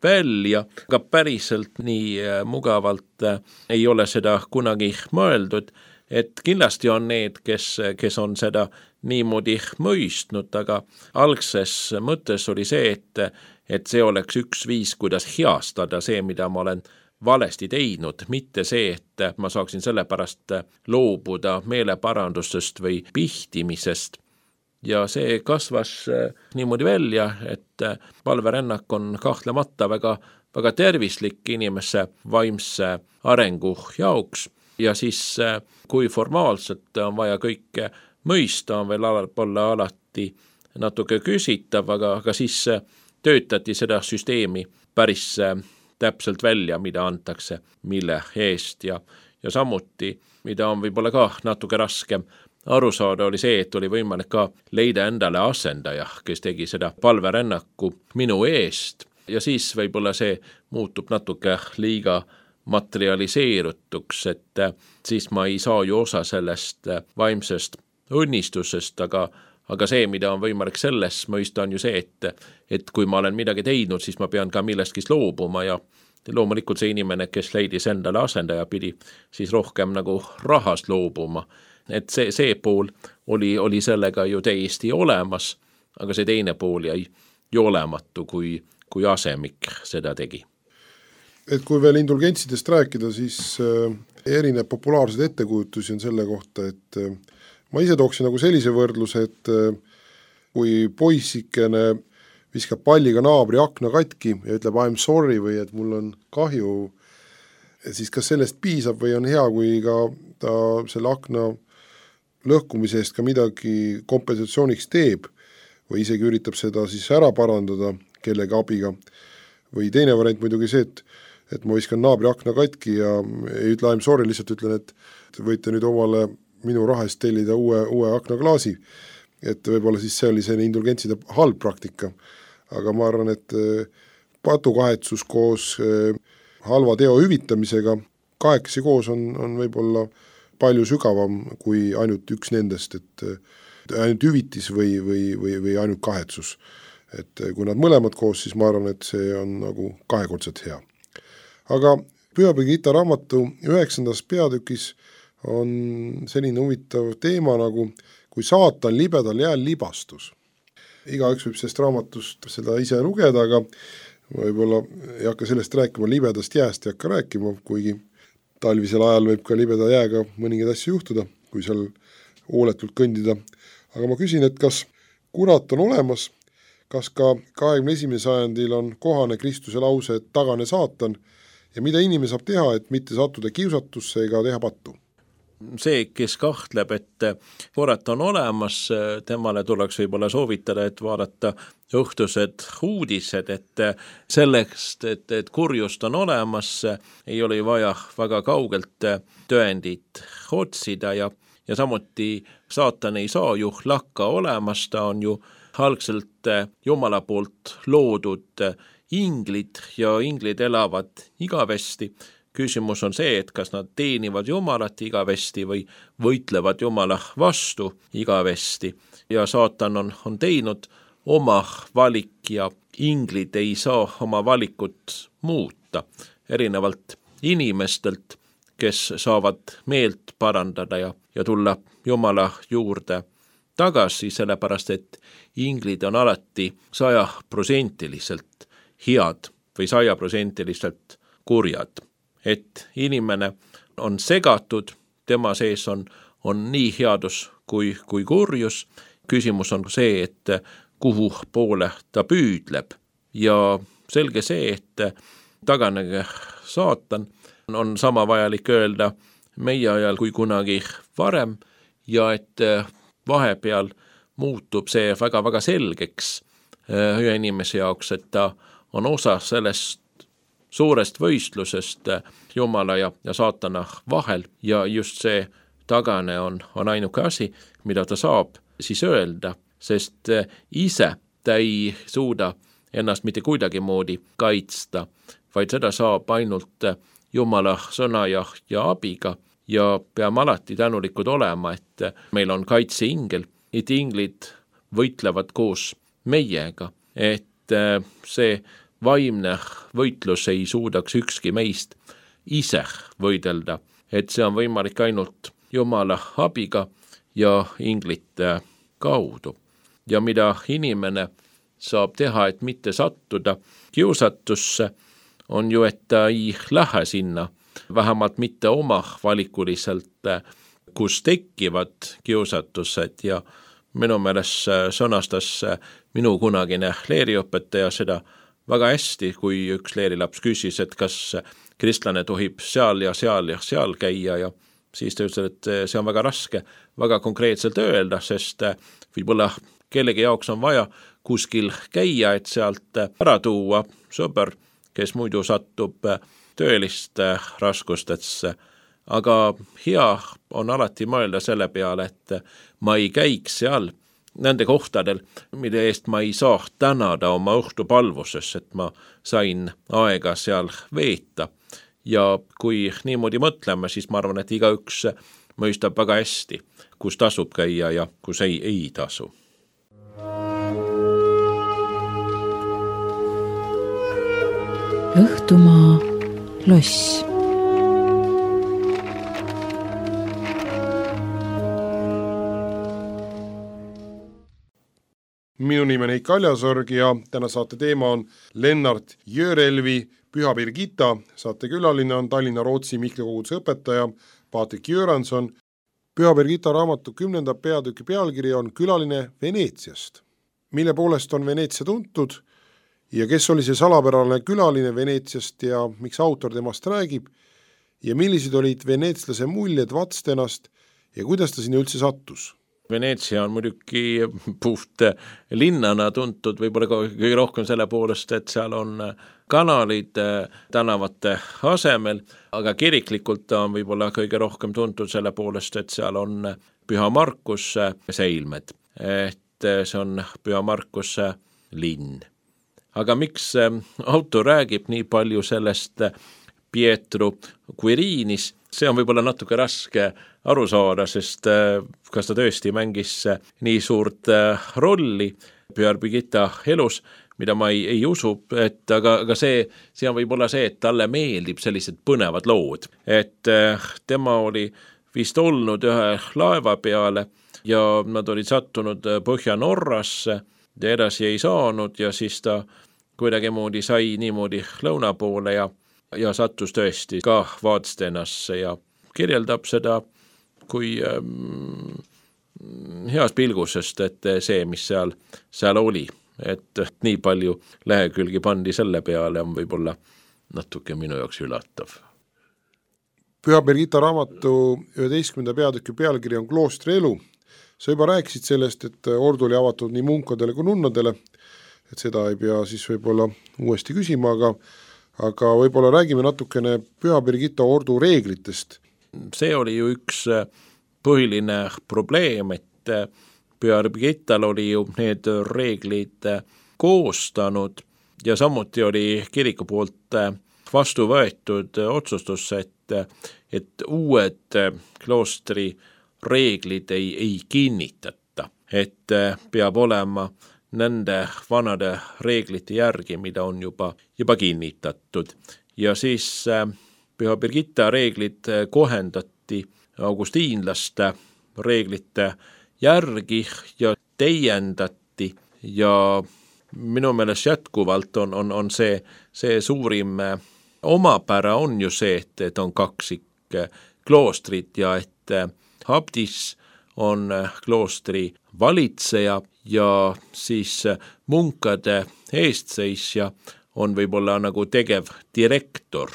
välja, aga päriselt nii mugavalt ei ole seda kunagi mõeldud, et kindlasti on need, kes on seda niimoodi mõistnud, aga algses mõttes oli see, et see oleks üks viis, kuidas heastada see, mida ma olen valesti teinud, mitte see, et ma saaksin selle pärast loobuda meeleparandustest või pihtimisest. Ja see kasvas niimoodi välja, et palverännak on kahtlemata väga, väga tervislik inimese vaimse arengu jaoks ja siis kui formaalselt on vaja kõike mõista, on veel olla alati natuke küsitav, aga siis töötati seda süsteemi päris täpselt välja, mida antakse, mille eest ja samuti, mida on võib-olla ka natuke raskem aru saada, oli see, et oli võimalik ka leida endale asendaja, kes tegi seda palverännaku minu eest ja siis võib-olla see muutub natuke liiga materialiseerutuks, et siis ma ei saa ju osa sellest vaimsest õnnistusest, aga see, mida on võimalik selles mõista, on ju see, et kui ma olen midagi teinud, siis ma pean ka millestki loobuma ja loomulikult see inimene, kes leidis endale asendaja, pidi siis rohkem nagu rahast loobuma. Et see pool oli sellega ju täiesti olemas, aga see teine pool jäi ju olematu, kui asemik seda tegi. Et kui veel indulgentsidest rääkida, siis erinev populaarseid ettekujutusi on selle kohta, et ma ise tooksin nagu sellise võrdluse, et kui poissikene viskab palliga naabri akna katki ja ütleb I'm sorry või et mul on kahju, siis kas sellest piisab või on hea, kui ka ta selle akna lõhkumise eest ka midagi kompensatsiooniks teeb või isegi üritab seda siis ära parandada kellegi abiga. Või teine variant muidugi see, et ma viskan naabri akna katki ja ei ütle I'm sorry, lihtsalt ütlen, et võite nüüd omale minu raha eest tellida uue aknaklaasi. Et võib-olla siis see oli selline indulgentside halb praktika. Aga ma arvan, et patukahetsus koos halva teo hüvitamisega kahekesi koos on võib-olla palju sügavam kui ainult üks nendest, et ainult hüvitis või ainult kahetsus. Et kui nad mõlemad koos, siis ma arvan, et see on nagu kahekordselt hea. Aga Püha Birgitta raamatu 9. peatükis on selline huvitav teema nagu kui saatan libedal jääl libastus. Igaüks võib sellest raamatust seda ise lugeda, aga võib-olla ei hakka sellest rääkima, libedast jääst ei hakka rääkima, kuigi talvisel ajal võib ka libeda jääga mõningaid asju juhtuda, kui seal hooletult kõndida. Aga ma küsin, et kas kurat on olemas, kas ka 21. sajandil on kohane Kristuse lause, et tagane saatan ja mida inimene saab teha, et mitte sattuda kiusatusse ega teha pattu? See, kes kahtleb, et kurat on olemas, temale tuleks võib-olla soovitada, et vaadata õhtused uudised, et sellest, et kurjust on olemas, ei ole vaja väga kaugelt tõendit otsida ja samuti saatan ei saa ju lakka olemas, ta on ju algselt Jumala poolt loodud inglid ja inglid elavad igavesti. Küsimus on see, et kas nad teenivad Jumalat igavesti või võitlevad Jumala vastu igavesti ja saatan on teinud oma valik ja inglid ei saa oma valikut muuta, erinevalt inimestelt, kes saavad meelt parandada ja tulla Jumala juurde tagasi, sellepärast et inglid on alati 100% head või 100% kurjad. Et inimene on segatud, tema sees on nii headus kui kurjus. Küsimus on see, et kuhu poole ta püüdleb ja selge see, et taganege saatan on sama vajalik öelda meie ajal kui kunagi varem ja et vahepeal muutub see väga-väga selgeks ühe inimese jaoks, et ta on osa sellest suurest võistlusest Jumala ja saatana vahel ja just see tagane on ainuke asi, mida ta saab siis öelda, sest ise ta ei suuda ennast mitte kuidagi moodi kaitsta, vaid seda saab ainult Jumala sõna ja abiga ja peame alati tänulikud olema, et meil on kaitseingel, et inglid võitlevad koos meiega, et see vaimne võitlus ei suudaks ükski meist ise võidelda, et see on võimalik ainult Jumala abiga ja inglite kaudu. Ja mida inimene saab teha, et mitte sattuda kiusatusse, on ju, et ta ei lähe sinna, vähemalt mitte oma valikuliselt, kus tekivad kiusatused ja minu meelest sõnastas minu kunagine leeriõpetaja seda väga hästi, kui üks leerilaps küsis, et kas kristlane tohib seal ja seal käia ja siis ta ütles, et see on väga raske väga konkreetselt öelda, sest võib-olla kellegi jaoks on vaja kuskil käia, et sealt ära tuua sõber, kes muidu satub tõeliste raskustesse. Aga hea on alati mõelda selle peale, et ma ei käiks seal nende kohtadel, mille eest ma ei saa tänada oma õhtupalvuses, et ma sain aega seal veeta. Ja kui niimoodi mõtleme, siis ma arvan, et igaüks mõistab väga hästi, kus tasub käia ja kus ei tasu. Õhtumaa loss. Minu nimi on Eik Aljasorg ja täna saate teema on Lennart Jörelvi Püha Birgitta. Saate külaline on Tallinna Rootsi Mihkli koguduse õpetaja Patrik Göransson. Püha Birgitta raamatu 10. peatüki pealkiri on Külaline Veneetsiast. Mille poolest on Veneetsia tuntud ja kes oli see salapärane külaline Veneetsiast ja miks autor temast räägib ja millised olid veneetslase muljed Vatstenast ja kuidas ta sinna üldse sattus? Veneetsia on muidugi puht linnana tuntud võib-olla kõige rohkem selle poolest, et seal on kanalid tänavate asemel, aga kiriklikult on võib-olla kõige rohkem tuntud selle poolest, et seal on Püha Markuse seilmed, et see on Püha Markuse linn. Aga miks autor räägib nii palju sellest Pietro Quirinis, see on võib-olla natuke raske aru saada, sest kas ta tõesti mängis nii suurt rolli Pühar Birgitta elus, mida ma ei usu, et aga see on võib-olla see, et talle meeldib sellised põnevad lood, et tema oli vist olnud ühe laeva peale ja nad olid sattunud Põhja-Norrasse ja edasi ei saanud ja siis ta kuidagimoodi sai niimoodi lõuna poole ja sattus tõesti ka Vaadstenasse ja kirjeldab seda kui heas pilgusest, et see, mis seal oli, et nii palju lehekülgi pandi selle peale, on võib-olla natuke minu jaoks ülatav. Püha Birgitta raamatu 11. peatüki pealkiri on Kloostri elu. Sa juba rääkisid sellest, et ordu oli avatud nii munkadele kui nunnadele, et seda ei pea siis võib-olla uuesti küsima, aga võib-olla räägime natukene Püha Birgitta ordu reeglitest. See oli ju üks põhiline probleem, et Püha Birgittal oli ju need reeglid koostanud ja samuti oli kiriku poolt vastu võetud otsustus, et uued kloostri reeglid ei kinnitata, et peab olema nende vanade reeglite järgi, mida on juba kinnitatud. Ja siis Püha Birgitta reeglid kohendati augustiinlaste reeglite järgi ja täiendati ja minu meelest jätkuvalt on see suurim omapära on ju see, et on kaksik kloostrit ja et abdis on kloostri valitseja ja siis munkade eestseisja on võib-olla nagu tegev direktor,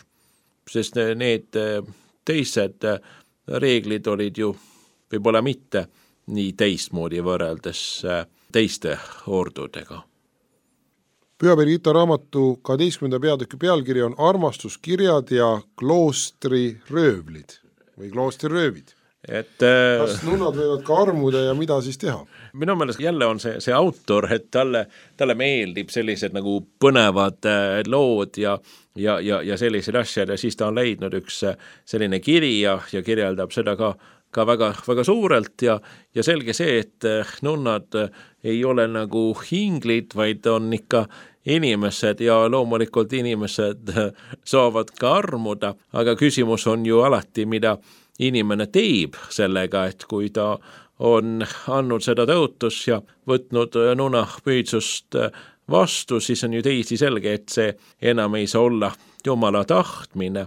sest need teised reeglid olid ju võib-olla mitte nii teistmoodi võrreldes teiste ordudega. Püha Birgitta raamatu 12. peatüki pealkiri on Armastuskirjad ja kloostriröövlid või kloostriröövid. Kas nunnad võivad ka armuda ja mida siis teha? Minu meelest jälle on see autor, et talle meeldib sellised nagu põnevad lood ja sellised asjad ja siis ta on leidnud üks selline kiri ja kirjeldab seda ka väga, väga suurelt ja selge see, et nunnad ei ole nagu hinglid, vaid on ikka inimesed ja loomulikult inimesed saavad ka armuda, aga küsimus on ju alati, mida inimene teeb sellega, et kui ta on andnud seda tõotus ja võtnud nunapüüdsust vastu, siis on ju teisi selge, et see enam ei saa olla Jumala tahtmine,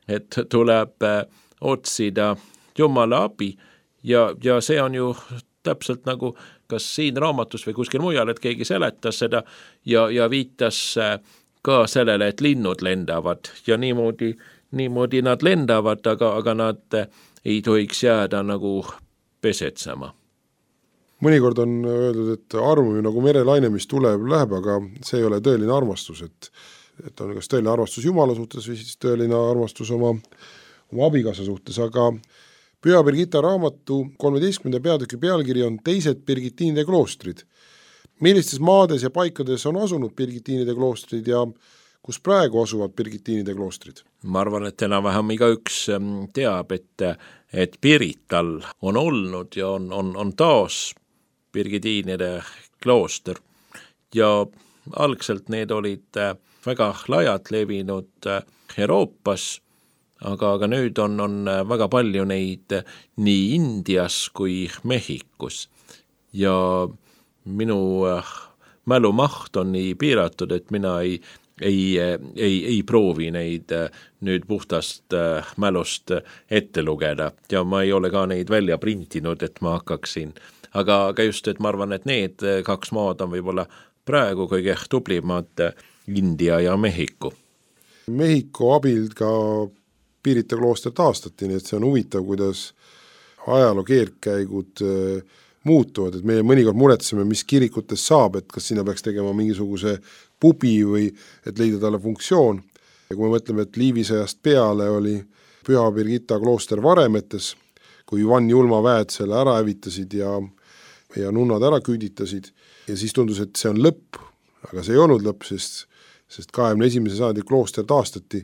et tuleb otsida Jumala abi ja see on ju täpselt nagu kas siin raamatus või kuskil mujal, et keegi seletas seda ja viitas ka sellele, et linnud lendavad ja niimoodi nad lendavad, aga nad ei tohiks jääda nagu pesetsema. Mõnikord on öeldud, et armumine nagu merelaine, mis tuleb, läheb, aga see ei ole tõeline armastus, et on kas tõeline armastus Jumala suhtes või siis tõeline armastus oma abikaasa suhtes, aga Püha Birgitta raamatu 13. peatüki pealkiri on Teised Birgitiinide kloostrid. Millistes maades ja paikades on asunud Birgitiinide kloostrid ja kus praegu asuvad Birgitiinide kloostrid? Ma arvan, et enam-vähem igaüks teab, et Pirital on olnud ja on taas Birgitiinide klooster ja algselt need olid väga laialt levinud Euroopas, aga nüüd on väga palju neid nii Indias kui Mehhikus ja minu mälumaht on nii piiratud, et mina ei proovi neid nüüd puhtast mälust ette lugeda ja ma ei ole ka neid välja printinud, et ma hakkaksin. Aga just, et ma arvan, et need kaks maad on võib-olla praegu kõige tublimad India ja Mehhiku. Mehhiku abil ka Pirita klooster taastati, nii et see on huvitav, kuidas ajaloo keerdkäigud muutuvad, et meie mõnikord muretseme, mis kirikutes saab, et kas sinna peaks tegema mingisuguse pubi või et leida talle funktsioon. Ja kui me mõtleme, et Liivisõjast peale oli Püha Birgitta klooster Varemetes, kui Ivan Julma väed selle ära hävitasid ja nunnad ära küüditasid ja siis tundus, et see on lõpp, aga see ei olnud lõpp, sest 21. sajandi klooster taastati,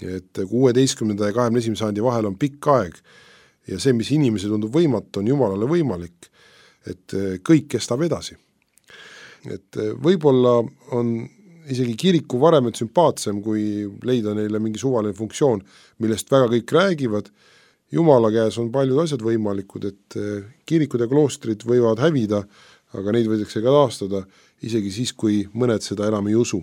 et 16. ja 21. sajandi vahel on pikk aeg ja see, mis inimese tundub võimatu, on Jumalale võimalik, et kõik kestab edasi. Et võib-olla on isegi kiriku Varemed sümpaatsem, kui leida neile mingi suvaline funktsioon, millest väga kõik räägivad. Jumala käes on paljud asjad võimalikud, et kirikud ja kloostrid võivad hävida, aga neid võidakse ka taastada, isegi siis, kui mõned seda enam ei usu.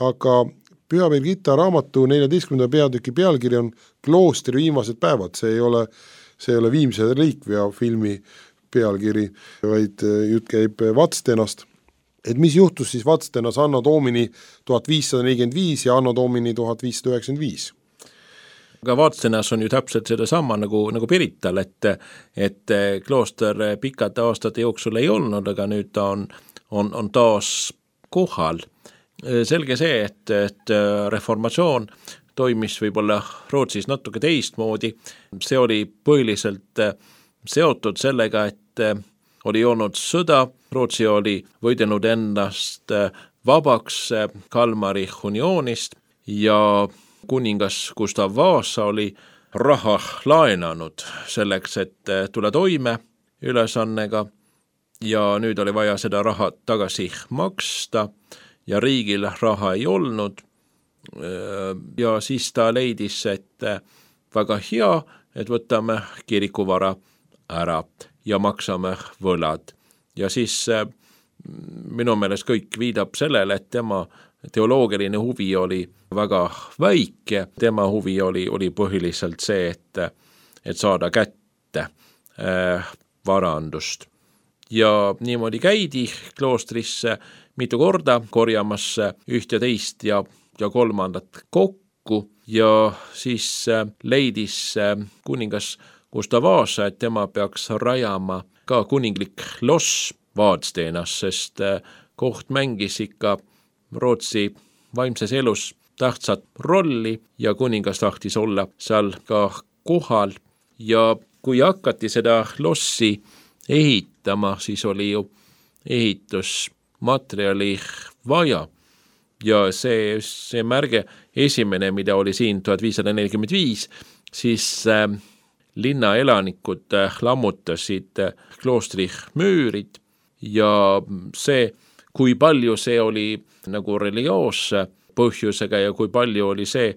Aga Püha Birgitta raamatu 14. peatüki pealkiri on Kloostri viimased päevad, see ei ole Viimse relikvia filmi pealkiri, vaid jutt käib Vatstenast. Et mis juhtus siis Vatstenas Anno Domini 1545 ja Anno Domini 1595? Aga Vatstenas on ju täpselt seda sama nagu Pirital, et klooster pikad aastate jooksul ei olnud, aga nüüd ta on taas kohal. Selge see, et reformatsioon toimis võib-olla Rootsis natuke teistmoodi. See oli põhiliselt seotud sellega, et oli olnud sõda, Rootsi oli võidelnud ennast vabaks Kalmari unioonist ja kuningas Gustav Vasa oli raha laenanud selleks, et tule toime ülesannega ja nüüd oli vaja seda raha tagasi maksta ja riigil raha ei olnud ja siis ta leidis, et väga hea, et võtame kirikuvara ära ja maksame võlad. Ja siis minu meelest kõik viidab sellele, et tema teoloogiline huvi oli väga väike, tema huvi oli põhiliselt see, et saada kätte varandust. Ja niimoodi käidi kloostrisse mitu korda korjamas üht ja teist ja kolmandat kokku ja siis leidis kuningas Gustav Vasa, et tema peaks rajama ka kuninglik loss Vadstenas, sest koht mängis ikka Rootsi vaimses elus tähtsat rolli ja kuningas tahtis olla seal ka kohal ja kui hakati seda lossi ehitama, siis oli ju ehitusmaterjali vaja ja see märge esimene, mida oli siin 1545, siis linna elanikud lammutasid kloostri müürid ja see, kui palju see oli nagu religioosse põhjusega ja kui palju oli see,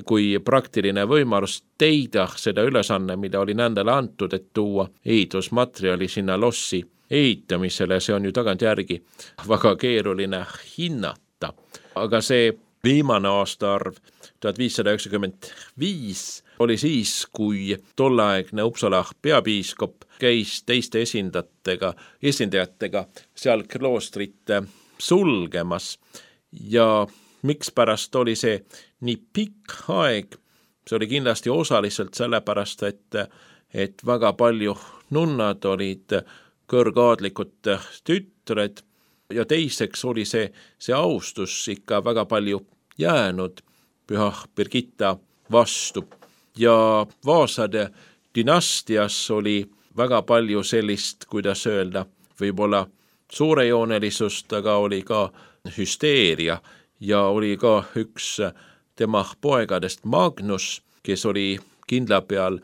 kui praktiline võimalus teida seda ülesanne, mida oli nendele antud, et tuua ehitusmaterjali sinna lossi ehitamisele, see on ju tagantjärgi väga keeruline hinnata. Aga see viimane aastaarv 1595 oli siis, kui tolleaegne Uppsala peapiiskop käis teiste esindajatega seal kloostrit sulgemas ja mikspärast oli see nii pikk aeg, see oli kindlasti osaliselt sellepärast, et väga palju nunnad olid kõrgaadlikud tütred ja teiseks oli see austus ikka väga palju jäänud Püha Birgitta vastu ja Vaasade dynastias oli väga palju sellist, kuidas öelda, võib-olla suurejoonelisust, aga oli ka hüsteeria ja oli ka üks tema poegadest Magnus, kes oli kindla peal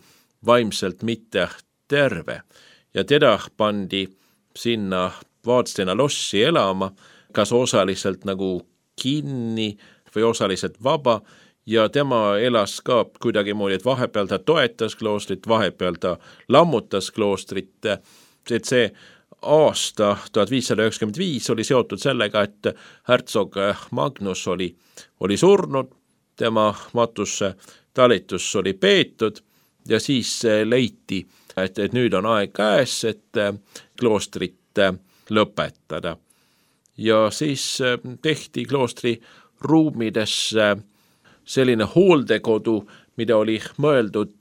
vaimselt mitte terve ja teda pandi sinna Vadstena lossi elama, kas osaliselt nagu kinni või osaliselt vaba ja tema elas ka kuidagimoodi, et vahepeal ta toetas kloostrit, vahepeal ta lammutas kloostrit, et see aasta 1595 oli seotud sellega, et hertsog Magnus oli surnud, tema matusse talitus oli peetud ja siis leiti, et nüüd on aeg käes, et kloostrit lõpetada. Ja siis tehti kloostri ruumidesse selline hooldekodu, mida oli mõeldud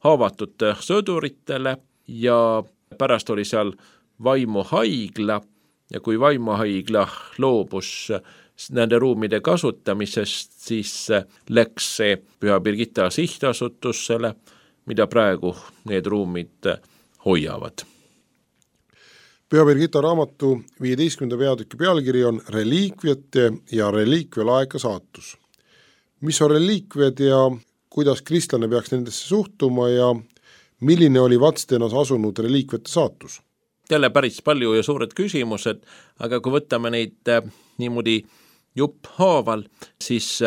haavatud sõduritele ja pärast oli seal vaimuhaigla ja kui vaimuhaigla loobus nende ruumide kasutamisest, siis läks see Püha Birgitta sihtasutusele, mida praegu need ruumid hoiavad. Püha Birgitta raamatu 15. peatüki pealkiri on Reliikviate ja reliikvialaeka saatus. Mis on reliikviad ja kuidas kristlane peaks nendesse suhtuma ja milline oli Vadstenas asunud reliikviate saatus? Jälle päris palju ja suured küsimused, aga kui võtame neid niimoodi jupphaaval, siis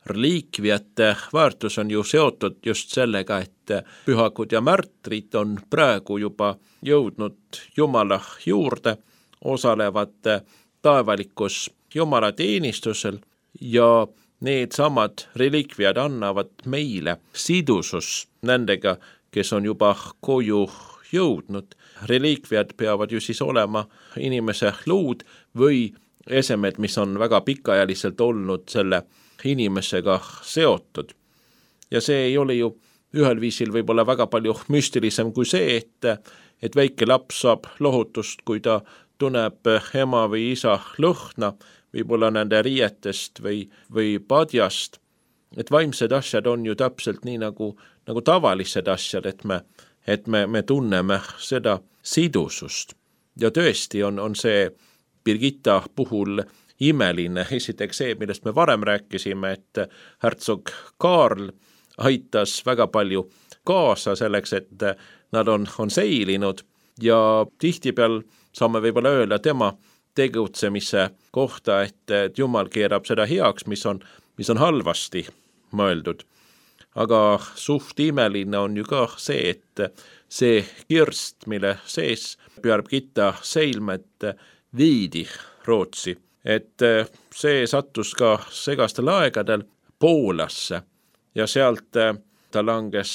reliikviate väärtus on ju seotud just sellega, et pühakud ja märtrid on praegu juba jõudnud Jumala juurde, osalevad taevalikus Jumala teenistusel ja need samad reliikviad annavad meile sidusus nendega, kes on juba koju jõudnud. Reliikviad peavad ju siis olema inimese luud või esemed, mis on väga pikaajaliselt olnud selle inimesega seotud. Ja see ei ole ju ühel viisil võib-olla väga palju müstilisem kui see, et väike laps saab lohutust, kui ta tunneb ema või isa lõhna, võib-olla nende riietest või padjast. Et vaimsed asjad on ju täpselt nii nagu tavalised asjad, et me tunneme seda sidusust. Ja tõesti on see Birgitta puhul imeline. Esiteks see, millest me varem rääkisime, et hertsog Kaarl aitas väga palju kaasa selleks, et nad on seilinud ja tihtipeal saame võib-olla öelda tema tegutsemise kohta, et Jumal keerab seda heaks, mis on halvasti mõeldud. Aga suht imeline on ju ka see, et see kirst, mille sees Püha Birgitta seilmed viidi Rootsi, et see sattus ka segastel aegadel Poolasse ja sealt ta langes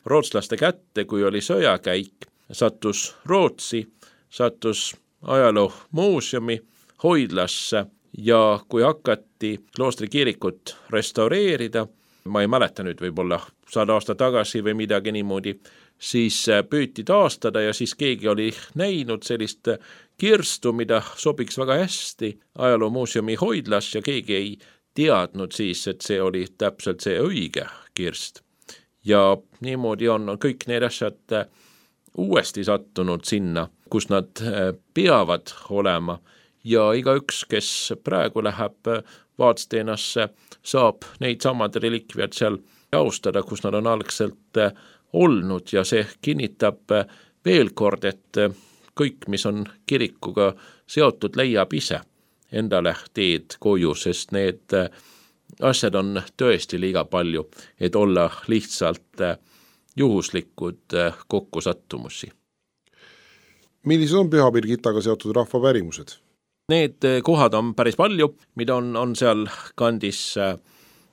rootslaste kätte, kui oli sõjakäik, sattus Rootsi, sattus ajaloomuuseumi hoidlasse ja kui hakati kloostrikirikut restaureerida, ma ei mäleta nüüd võib-olla 100 aasta tagasi või midagi niimoodi, siis püüti taastada ja siis keegi oli näinud sellist kirstu, mida sobiks väga hästi ajaloomuuseumi hoidlas ja keegi ei teadnud siis, et see oli täpselt see õige kirst. Ja niimoodi on kõik need asjad uuesti sattunud sinna, kus nad peavad olema ja igaüks, kes praegu läheb Vadstenasse, saab neid samad relikviad seal austada, kus nad on algselt olnud ja see kinnitab veel kord, et kõik, mis on kirikuga seotud, leiab ise endale teed koju, sest need asjad on tõesti liiga palju, et olla lihtsalt juhuslikud kokkusattumusi. Millised on Püha Birgittaga seotud rahvapärimused? Need kohad on päris palju, mida on seal kandis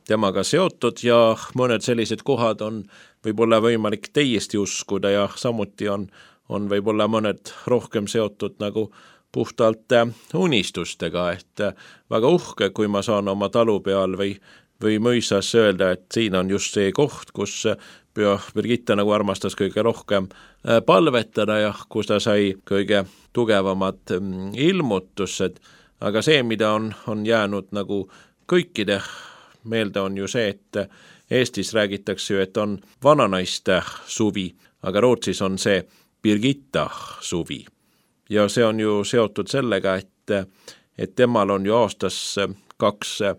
temaga seotud ja mõned sellised kohad on võib-olla võimalik täiesti uskuda ja samuti on võib-olla mõned rohkem seotud nagu puhtalt unistustega, et väga uhke, kui ma saan oma talu peal või mõisas öelda, et siin on just see koht, kus Püha Birgitta nagu armastas kõige rohkem palvetada ja kus ta sai kõige tugevamad ilmutused, aga see, mida on jäänud nagu kõikide meelde, on ju see, et Eestis räägitakse ju, et on vananaiste suvi, aga Rootsis on see Birgitta suvi. Ja see on ju seotud sellega, et temal on ju aastas 2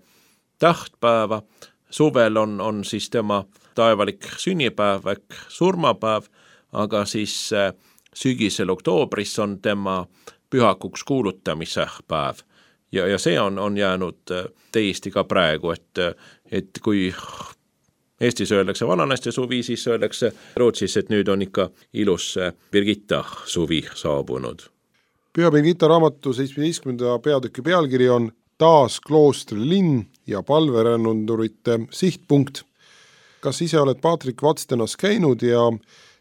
tähtpäeva, suvel on siis tema taevalik sünnipäev ehk surmapäev, aga siis sügisel oktoobris on tema pühakuks kuulutamise päev. Ja see on jäänud täiesti ka praegu, et kui Eestis öeldakse vananaiste suvi, siis öeldakse Rootsis, et nüüd on ikka ilus Birgitta suvi saabunud. Püha Birgitta raamatu 17. peatüki pealkiri on Taas kloostri linn ja palverännundurite sihtpunkt. Kas ise oled Paatrik Vadstenas käinud ja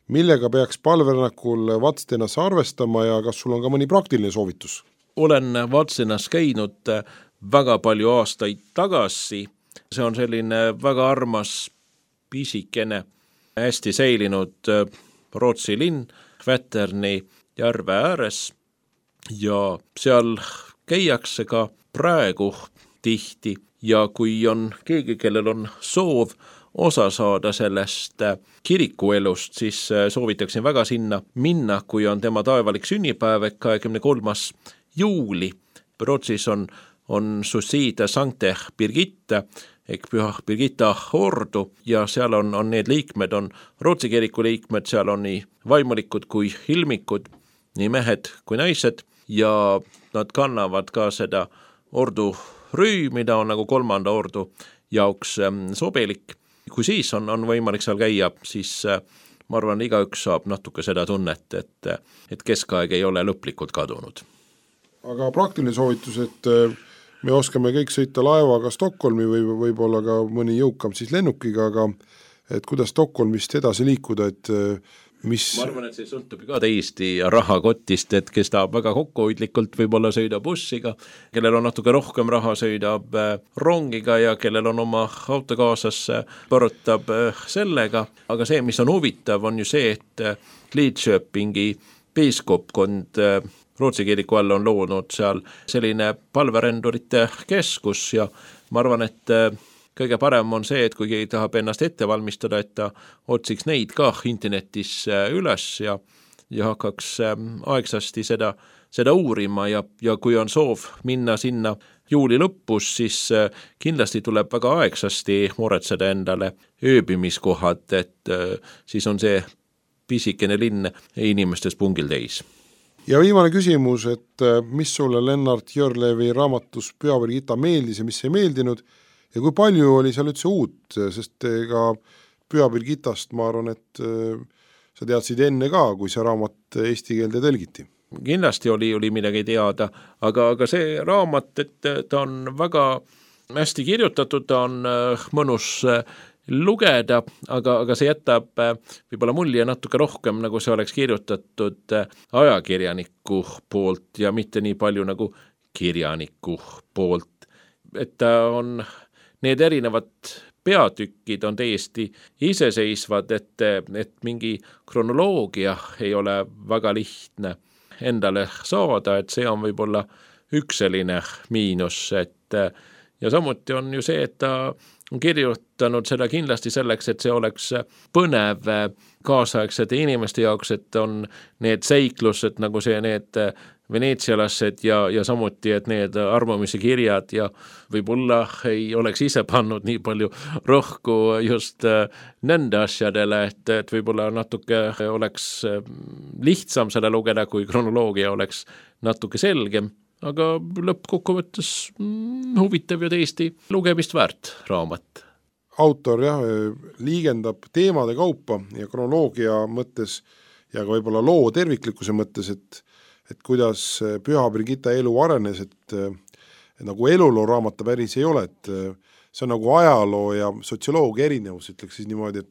millega peaks palverännakul Vadstenas arvestama ja kas sul on ka mõni praktiline soovitus? Olen Vadstenas käinud väga palju aastaid tagasi. See on selline väga armas pisikene, hästi säilinud Rootsi linn, Väterni järve ääres ja seal käiakse ka praegu tihti ja kui on keegi, kellel on soov osa saada sellest kirikuelust, siis soovitaksin väga sinna minna, kui on tema taevalik sünnipäev, 23. juuli. Rootsis on Suicide Sancte Birgitte ehk Püha Birgitta ordu ja seal on need liikmed, on Rootsi kiriku liikmed, seal on nii vaimulikud kui ilmikud, nii mehed kui naised ja nad kannavad ka seda ordu rüü, mida on nagu 3. ordu jaoks sobilik. Kui siis on võimalik seal käia, siis ma arvan, igaüks saab natuke seda tunnet, et keskaeg ei ole lõplikult kadunud. Aga praktiline soovitus, et me oskame kõik sõita laevaga Stockholmi või võib-olla ka mõni jõukam siis lennukiga, aga et kuidas Stockholmist edasi liikuda, et mis... Ma arvan, et see sõltub ka täiesti rahakotist, et kes tahab väga kokkuhoidlikult võib-olla sõida bussiga, kellel on natuke rohkem raha, sõidab rongiga ja kellel on oma auto kaasas, põrutab sellega. Aga see, mis on huvitav, on ju see, et Lidköpingi piiskopkond Rootsi kiriku all on loonud seal selline palverendurite keskus ja ma arvan, et kõige parem on see, et kui keegi tahab ennast ette valmistada, et ta otsiks neid ka internetis üles ja hakkaks aegsasti seda uurima ja kui on soov minna sinna juuli lõpus, siis kindlasti tuleb väga aegsasti muretseda endale ööbimiskohad, et siis on see pisikene linn inimestes pungil täis. Ja viimane küsimus, et mis sulle Lennart Jörlevi raamatus Püha Birgitta meeldis ja mis ei meeldinud ja kui palju oli seal üldse uut, sest ka Püha Birgittast ma arvan, et sa teadsid enne ka, kui see raamat eesti keelde tõlgiti. Kindlasti oli midagi teada, aga see raamat, et ta on väga hästi kirjutatud, ta on mõnus lugeda, aga see jätab võib-olla mulje natuke rohkem, nagu see oleks kirjutatud ajakirjaniku poolt ja mitte nii palju nagu kirjaniku poolt. Et ta on, need erinevad peatükid on täiesti iseseisvad, et mingi kronoloogia ei ole väga lihtne endale saada, et see on võib-olla üks selline miinus, ja samuti on ju see, et ta on kirjutanud seda kindlasti selleks, et see oleks põnev kaasaegsete inimeste jaoks, et on need seiklused nagu see, need veneetsialased ja samuti, et need arvamise kirjad ja võib-olla ei oleks ise pannud nii palju rohku just nende asjadele, et võib-olla natuke oleks lihtsam seda lugeda, kui kronoloogia oleks natuke selgem. Aga lõppkokkuvõttes huvitav ja täiesti lugemist väärt raamat. Autor liigendab teemade kaupa ja kronoloogia mõttes ja ka võib-olla loo terviklikkuse mõttes, et kuidas Püha Birgitta elu arenes, et nagu eluloo raamata päris ei ole, et see on nagu ajaloo ja sotsioloogia erinevus, ütleks siis niimoodi,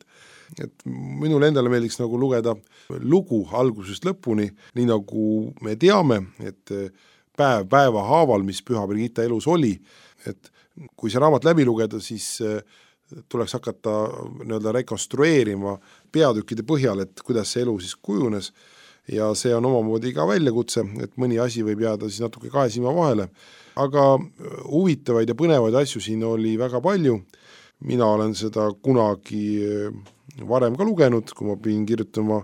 et minule endale meeldiks nagu lugeda lugu algusest lõpuni, nii nagu me teame, et päeva haaval, mis Püha Birgitta elus oli, et kui see raamat läbi lugeda, siis tuleks hakata rekonstrueerima peatükkide põhjal, et kuidas see elu siis kujunes ja see on omamoodi ka väljakutse, et mõni asi võib jääda siis natuke kahe silma vahele, aga huvitavaid ja põnevaid asju siin oli väga palju. Mina olen seda kunagi varem ka lugenud, kui ma pidin kirjutama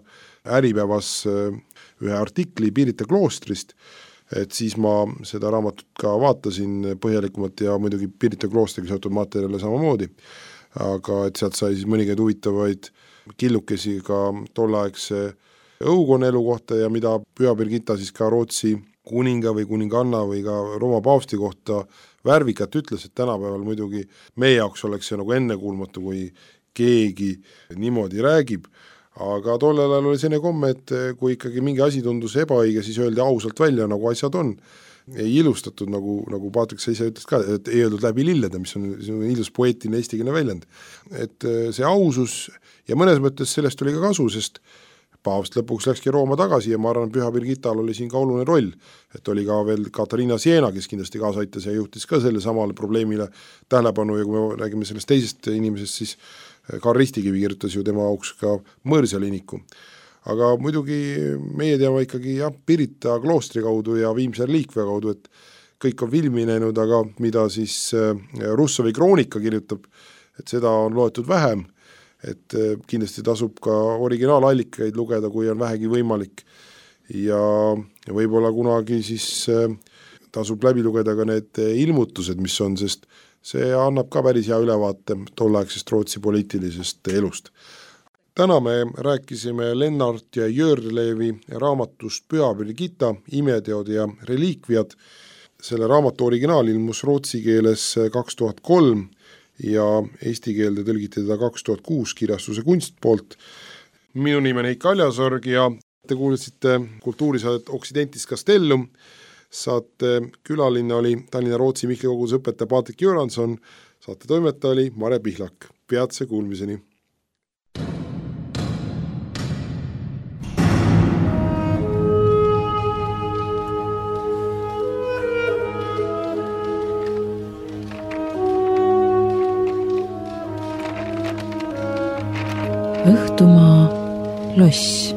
Äripäevas ühe artikli Pirita kloostrist, et siis ma seda raamatut ka vaatasin põhjalikumalt ja muidugi Pirita kloostriga seotud materjale samamoodi, aga et sealt sai siis mõningaid huvitavaid killukesi ka tolleaegse õukonna elu kohta ja mida Püha Birgitta siis ka Rootsi kuninga või kuninganna või ka Rooma paavsti kohta värvikat ütles, et tänapäeval muidugi meie jaoks oleks see nagu ennekuulmatu, kui keegi niimoodi räägib, aga tollel ajal oli selline komme, et kui ikkagi mingi asi tundus ebaõige, siis öeldi ausalt välja, nagu asjad on. Ei ilustatud, nagu Paatrik sa ise ütles ka, et ei öeldud läbi lillede, mis on ilus poeetiline eestikeelne väljend. Et see ausus ja mõnes mõttes sellest tuli ka kasu, sest paavst lõpuks läkski Rooma tagasi ja ma arvan, Püha Birgittal oli siin ka oluline roll, et oli ka veel Katariina Siena, kes kindlasti kaasa aitas ja juhtis ka selle samale probleemile tähelepanu ja kui me räägime sellest teisest inimesest, siis Karl Ristikivi kirjutas ju tema auks ka mõõrsaliiniku. aga muidugi meie teame ikkagi Pirita kloostri kaudu ja Viimse reliikvia kaudu, et kõik on filmi näinud, aga mida siis Russovi kroonika kirjutab, et seda on loetud vähem, et kindlasti tasub ka originaalallikaid lugeda, kui on vähegi võimalik ja võib-olla kunagi siis tasub läbi lugeda ka need ilmutused, mis on, sest see annab ka päris hea ülevaate tolleaegsest Rootsi poliitilisest elust. Täna me rääkisime Lennart ja Jörlevi raamatust Püha Birgitta, imeteod ja reliikviad. Selle raamatu originaal ilmus rootsi keeles 2003 ja eesti keelde tõlgiti teda 2006 kirjastuse Kunst poolt. Minu nimi on Heiki Aljasorg ja te kuulsite kultuurisaadet Occidentis Castellum. Saate külaline oli Tallinna Rootsi Mihkli koguduse õpetaja Patrik Göranson, saate toimetaja oli Mare Pihlak. Peatse kuulmiseni! Õhtumaa loss.